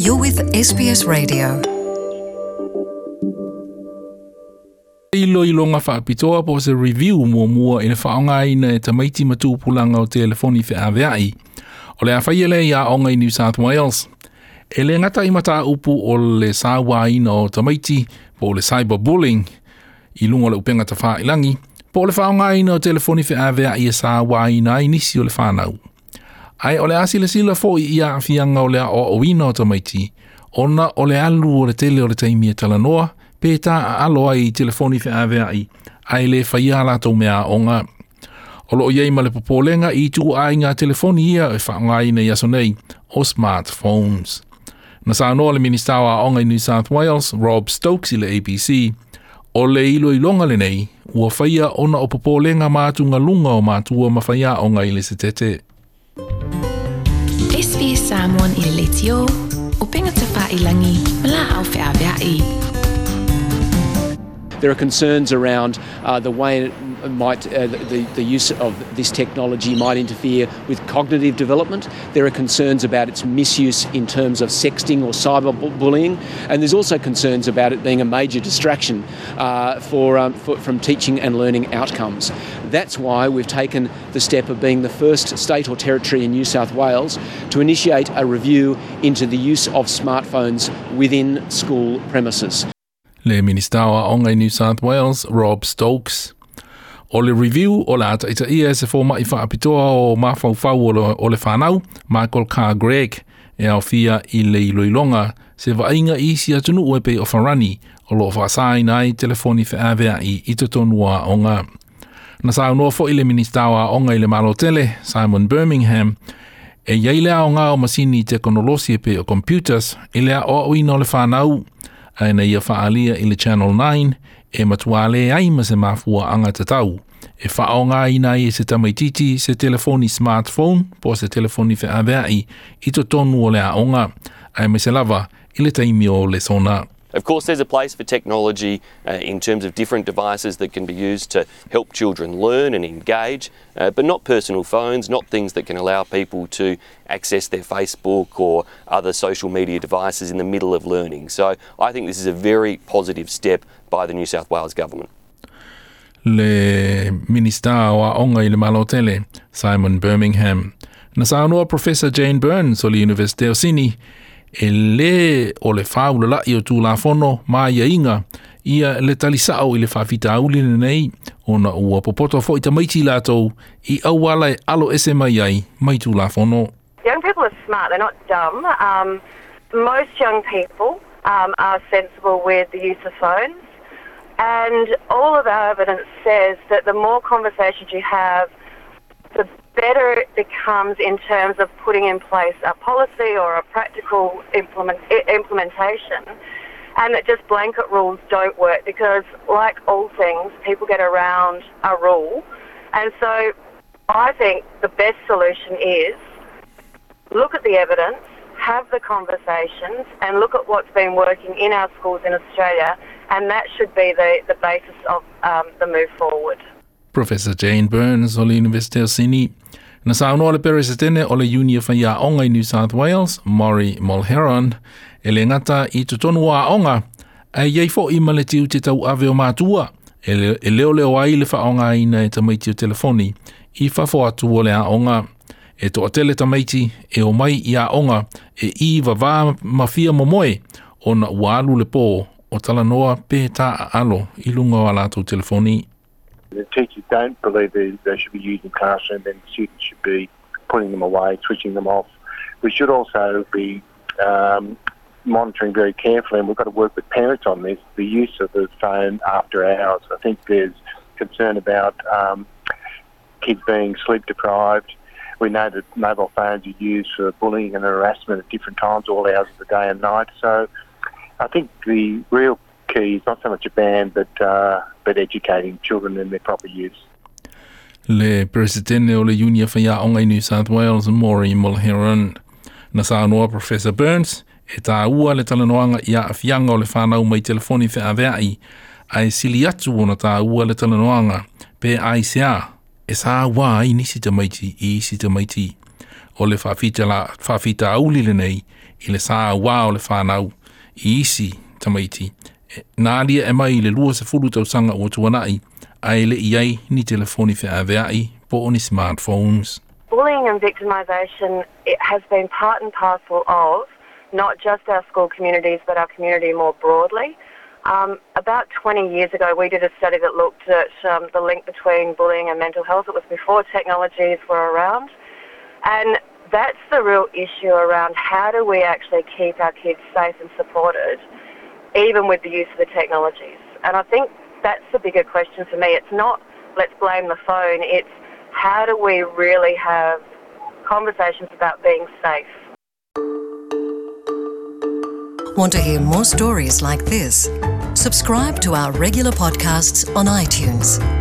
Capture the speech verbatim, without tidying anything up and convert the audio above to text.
You're with S B S Radio. Iloiloga faapitoa po o se review muamua i le faaaogaina e tamaiti ma tupulaga o telefoni feaveai o le afaia lea i aoga i New South Wales. E le gata i mataupu o le sauaina o tamaiti po o le cyberbullying i luga o le upega tafailagi po o le faaaogaina o telefoni feaveai e sauaina ai nisi o le fanau. Ae o le a silasila foi i aafiaga o le aoaoina o tamaiti ona o le alu o le tele o le taimi e talanoa pe taaalo ai i telefoni feaveai ae le faia a latou mea aoga. O loo iai ma le popolega i ituaiga telefoni ia e faaaogaina i aso nei o smartphones. Na saunoa le Minista o Aoga i New South Wales, Rob Stokes i le A B C, o le iloiloga lenei ua faia ona o popolega ma atugaluga o matua ma faiaoga i le setete. S B S Samoan i le leitio, upega tafailagi ma laau feaveai. There are concerns around uh, the way it might, uh, the, the use of this technology might interfere with cognitive development. There are concerns about its misuse in terms of sexting or cyberbullying, and there's also concerns about it being a major distraction uh, for, um, for, from teaching and learning outcomes. That's why we've taken the step of being the first state or territory in New South Wales to initiate a review into the use of smartphones within school premises. Le Minista o Aoga i New South Wales, Rob Stokes. O le review o le ataitaia e se fōma'i faapitoa o mafaufau o le, o le whanau, Michael Carr Gregg, e aofia i le iloiloga se vaaiga i isi atunuu e pei o Farani o loo faasaina ai telefoni feaveai i totonu o aoga. Na saunoa foi le Minista o Aoga i le Malo Tele, Simon Birmingham, e iai le aoga o masini tekonolosi e pei o computers i le aoaoina o le whanau, ae na ia faalia i le Channel nine e matua le ai ma se mafuaanga tatau e faaaogaina ai e se tamaititi se telefoni smartphone po o se telefoni feaveai i totonu o le aoga ae maise lava i le taimi o lesona. Of course, there's a place for technology uh, in terms of different devices that can be used to help children learn and engage, uh, but not personal phones, not things that can allow people to access their Facebook or other social media devices in the middle of learning. So I think this is a very positive step by the New South Wales government. Le Minista o Aoga i le Malo Tele, Simon Birmingham. Na saunoa Professor Jane Burns o le University o Sydney, e le o le faaulala'i o tulafono ma aiaiga ia le talisa'o i le faafitauli lenei ona ua popoto fo'i tamaiti latou i auala e alo ese mai ai mai tulafono. Young people are smart, they're not dumb. Um, most young people um, are sensible with the use of phones, and all of our evidence says that the more conversations you have, the better it becomes in terms of putting in place a policy or a practical implement, implementation, and that just blanket rules don't work because, like all things, people get around a rule. And so I think the best solution is look at the evidence, have the conversations, and look at what's been working in our schools in Australia, and that should be the, the basis of um, the move forward. Professor Jane Burns o le University of Sydney. Na saunoa le Peresetene o le Uni o Faiaoga i New South Wales, Maury Mulheron, e le gata i totonu o aoga, ae iai fo'i ma le tiute tauave o matua, e le, e leoleo ai le faaaogaina e tamaiti o telefoni i fafo atu o le aoga. E toatele tamaiti e omai i aoga e i vavā ma fia momoe ona ua alu le pō o talanoa pe taaalo i luga o a latou telefoni. The teachers don't believe they, they should be used in classroom, then students should be putting them away, switching them off. We should also be um, monitoring very carefully, and we've got to work with parents on this, the use of the phone after hours. I think there's concern about um, kids being sleep deprived. We know that mobile phones are used for bullying and harassment at different times, all hours of the day and night. So I think the real key is not so much a ban, but uh, but educating children in their proper use. Le Presidente o le Uni o Faiaoga i New South Wales, Maury Mulheron. Na saunoa Professor Burns, e tāua le talanoaga i aafiaga o le whanau mai telefoni feaveai, ae sili atu ona tāua le talanoaga pe ai se a, e sauā ai nisi tamaiti i isi tamaiti. O le faafita la, faafitauli lenei I le sa uā o le fanau i isi tamaiti na alia e mai i le lua sefulu tausaga ua tuana'i ae le i ai ni telefoni feavea'i po o ni smartphones. Bullying and victimisation, it has been part and parcel of not just our school communities but our community more broadly. Um, about twenty years ago, we did a study that looked at um, the link between bullying and mental health. It was before technologies were around. And that's the real issue around how do we actually keep our kids safe and supported, even with the use of the technologies. And I think that's the bigger question for me. It's not let's blame the phone, it's how do we really have conversations about being safe. Want to hear more stories like this? Subscribe to our regular podcasts on iTunes.